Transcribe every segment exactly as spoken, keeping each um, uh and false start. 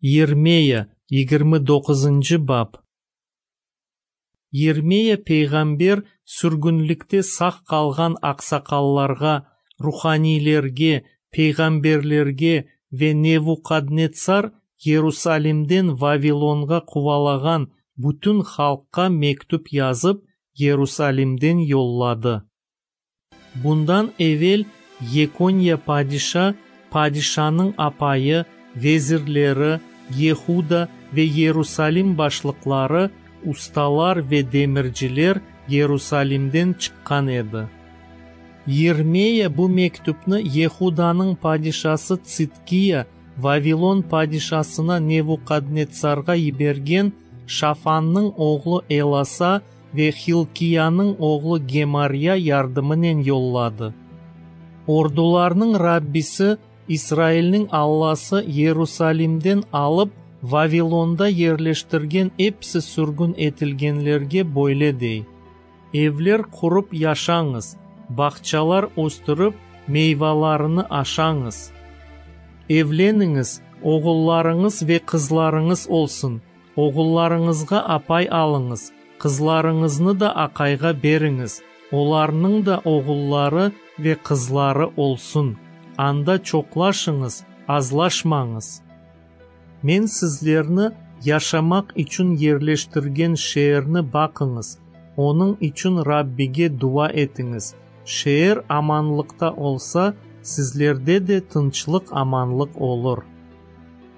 Yirmeya, yigirmi doquzıncı bap. Yirmeya peyğamber sürgünlikte sağ qalğan aqsaqallarğa, ruhaniylerge, peyğamberlerge ve Nevuhadnetsar Yerusalimden Vavilonğa quvalağan bütün halqqa mektüp yazıp, Yerusalimden yolladı. Bundan evel Yekonya padişa, padişanıñ apayı, vezirleri, Yehuda ve Yerusalim başlıqları, ustalar ve demirciler Yerusalimden çıqqan edi. Yirmeya bu mektüpni Yehudanıñ padişası Tsidkiya Vavilon padişasına Nevuhadnetsarğa yibergen Şafannıñ oğlu Elasa ve Hilkiyanıñ oğlu Gemarya yardımınen yolladı. Ordularnıñ Rabbisi, İsrailniñ Allası Yerusalimden alıp Vavilonda yerleştirgen episi sürgün etilgenlerge böyle dey: Evler qurıp yaşañız, bağçalar östürip, meyvalarını aşañız. Evleniñiz, oğullarıñız ve qızlarıñız olsun, oğullarıñızğa apay alıñız, qızlarıñıznı da aqayğa beriñiz, olarnıñ da oğulları ve qızları olsun. Anda çoqlaşıñız, azlaşmañız. Men sizlerni yaşamaq içün yerleştirgen şeerni baqıñız, onıñ içün Rabbige dua etiñiz. Şeer amanlıqta olsa, sizlerde de tınçlıq-amanlıq olur.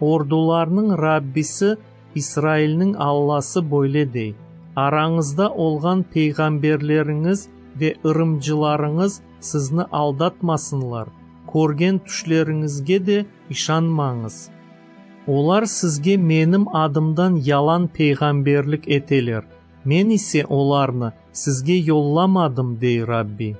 Ordularnıñ Rabbisi, İsrailniñ Allası böyle dey: Arañızda olğan peyğamberleriñiz ve ırımcılarıñız sizni aldatmasınlar, körgen tüşleriñizge de işanmañız. Olar sizge menim adımdan yalan peyğamberlik eteler, men ise olarnı sizge yollamadım, dey Rabbi.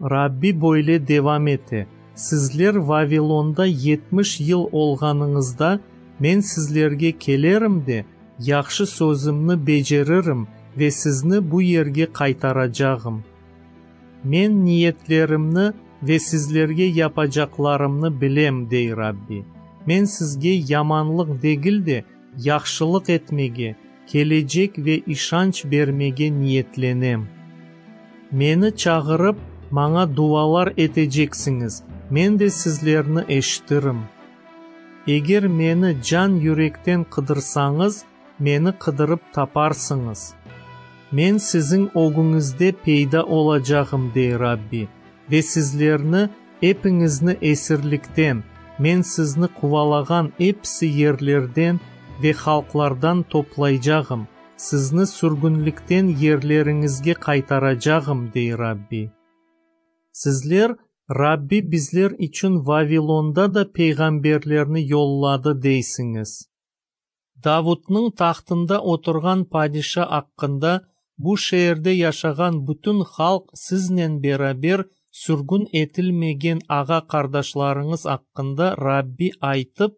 Rabbi böyle devam ete: Sizler Vavilonda yetmiş yıl olğanıñızda, men sizlerge kelerim de, yahşı sözümni beceririm ve sizni bu yerge qaytaracağım. Men niyetlerimni ve sizlerge yapacaqlarımnı bilem, dey Rabbi. Men sizge yamanlıq degil de, yahşılıq etmege, kelecek ve işanç bermege niyetlenem. Meni çağırıp, maña dualar eteceksiñiz, men de sizlerni eşitirim. Eger meni can-yürekten qıdırsañız, meni qıdırıp taparsıñız. Men siziñ ögüñizde peyda olacağım, dey Rabbi, ve sizlerni, epiñizni esirlikten, men sizni quvalağan episi yerlerden ve halqlardan toplaycağım, sizni sürgünlikten yerleriñizge qaytaracağım, dey Rabbi. Sizler, Rabbi bizler içün Vavilonda da peyğamberlerni yolladı, deysiñiz. Davudnıñ tahtında oturğan padişa aqqında bu şeerde yaşağan bütün halq siznen beraber sürgün etilmegen ağa-qardaşlarıñız aqqında Rabbi aytıp,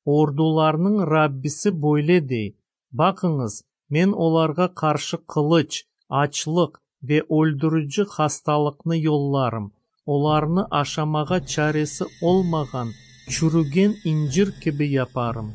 Ordularnıñ Rabbisi böyle dey: Baqıñız, men olarğa qarşı qılıç, açlıq ve öldürici hastalıqnı yollarım, olarnı aşamağa çaresi olmağan çürügen incir kibi yaparım.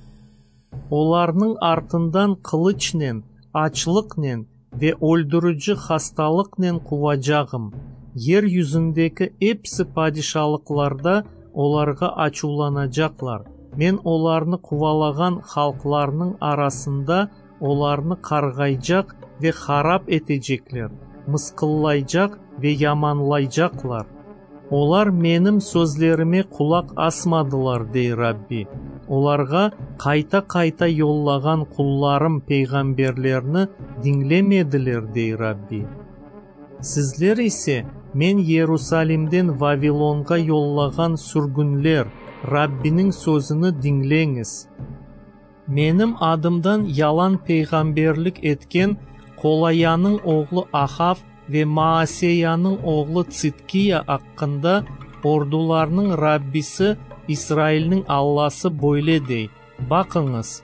Olarnıñ artından qılıçnen, açlıqnen ve öldürici hastalıqnen quvacağım. Yer yüzündeki episi padişalıqlarda olarğa açuvlanacaqlar. Men olarnı quvalağan halqlarnıñ arasında olarnı qarğaycaq ve harap etecekler, mısqıllaycaq ve yamanlaycaqlar. Olar menim sözlerime qulaq asmadılar, dey Rabbi. Olarğa qayta-qayta yollağan qullarım peyğamberlerni diñlemediler, dey Rabbi. Sizler ise men Yerusalimden Vavilonğa yollağan sürgünler, Rabbiniñ sözüni diñleñiz. Menim adımdan yalan peyğamberlik etken Kolayanıñ oğlu Ahav ve Maaseyanıñ oğlu Tsidkiya aqqında ordularnıñ Rabbisi, İsrailniñ Allası böyle dey: Baqıñız,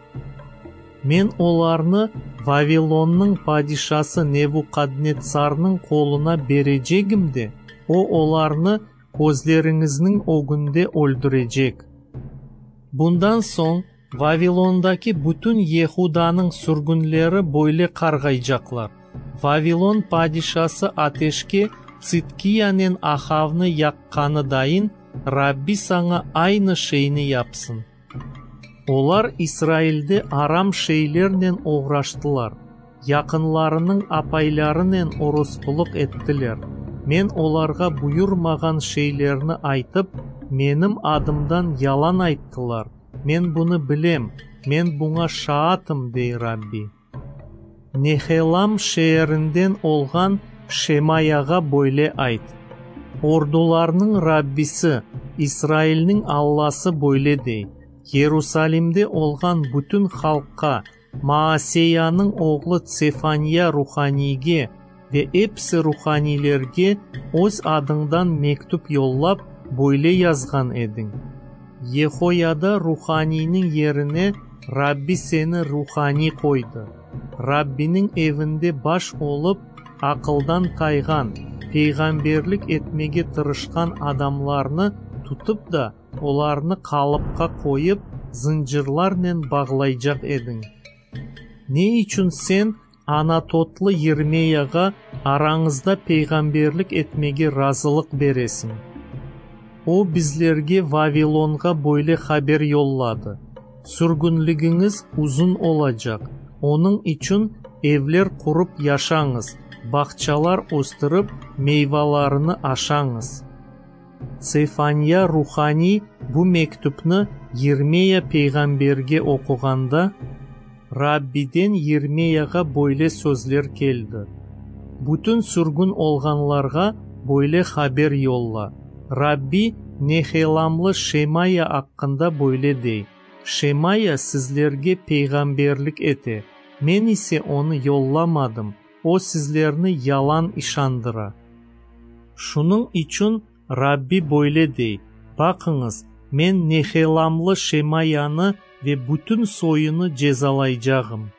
men olarnı Vavilonnıñ padişası Nevuhadnetsarnıñ qoluna berecegim de, o olarnı közleriñizniñ ögünde öldürecek. Bundan soñ Vavilondaki bütün Yehudanıñ sürgünleri böyle qarğaycaqlar: Vavilon padişası ateşke Tsidkiyanen Ahavnı yaqqanı dayın, rabbi saña aynı şeyni yapsın. Olar İsrailde aram şeylernen oğraştılar, yaqınlarınıñ apaylarınen oruspulıq ettiler, Men olarğa buyurmağan şeylerni aytıp, Menim adımdan yalan ayttılar. Men bunı bilem, Men buña şaatım, dey rabbi. Nehelam şeerinden olğan Şemayağa böyle ayt: Ordularnıñ Rabbisi, İsrailniñ Allası böyle dey: Yerusalimde olğan bütün halqqa, Maaseyanıñ oğlu Tsefaniya ruhaniyge ve episi ruhaniylerge öz adıñdan mektüp yollap, böyle yazğan ediñ: Yehoyada ruhaniyniñ yerine rabbi seni ruhaniy qoydı. Rabbiniñ evinde baş olıp, aqıldan tayğan, peyğamberlik etmege tırışqan adamlarnı tutıp da, olarnı qalıpqa qoyıp, zıncırlarnen bağlaycaq ediñ. Ne içün sen Anatotlı Yirmeyağa arañızda peyğamberlik etmege razılıq beresiñ? O, bizlerge Vavilonğa böyle haber yolladı: Sürgünligiñiz uzun olacaq, onıñ içün evler qurıp yaşañız, bağçalar östürip, meyvalarını aşañız. Tsefaniya ruhaniy bu mektüpni Yirmeya peyğamberge oquğanda, Rabbiden Yirmeyağa böyle sözler keldi: Bütün sürgün olğanlarğa böyle haber yolla: Rabbi Nehelamlı Şemaya aqqında böyle dey: Şemaya sizlerge peyğamberlik ete, Men ise onı yollamadım, o, sizlerni yalan işandıra. Şunıñ içün rabbi böyle dey: Baqıñız, Men Nehelamlı Şemayanı ve bütün soyunı cezalaycağım.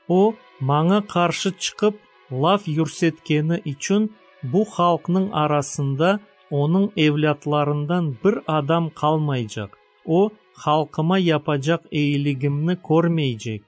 O, Maña qarşı çıqıp, laf yürsetkeni içün, bu halqnıñ arasında onıñ evlâtlarından bir adam qalmaycaq, o, halqıma yapacaq eyiligimni körmeycek.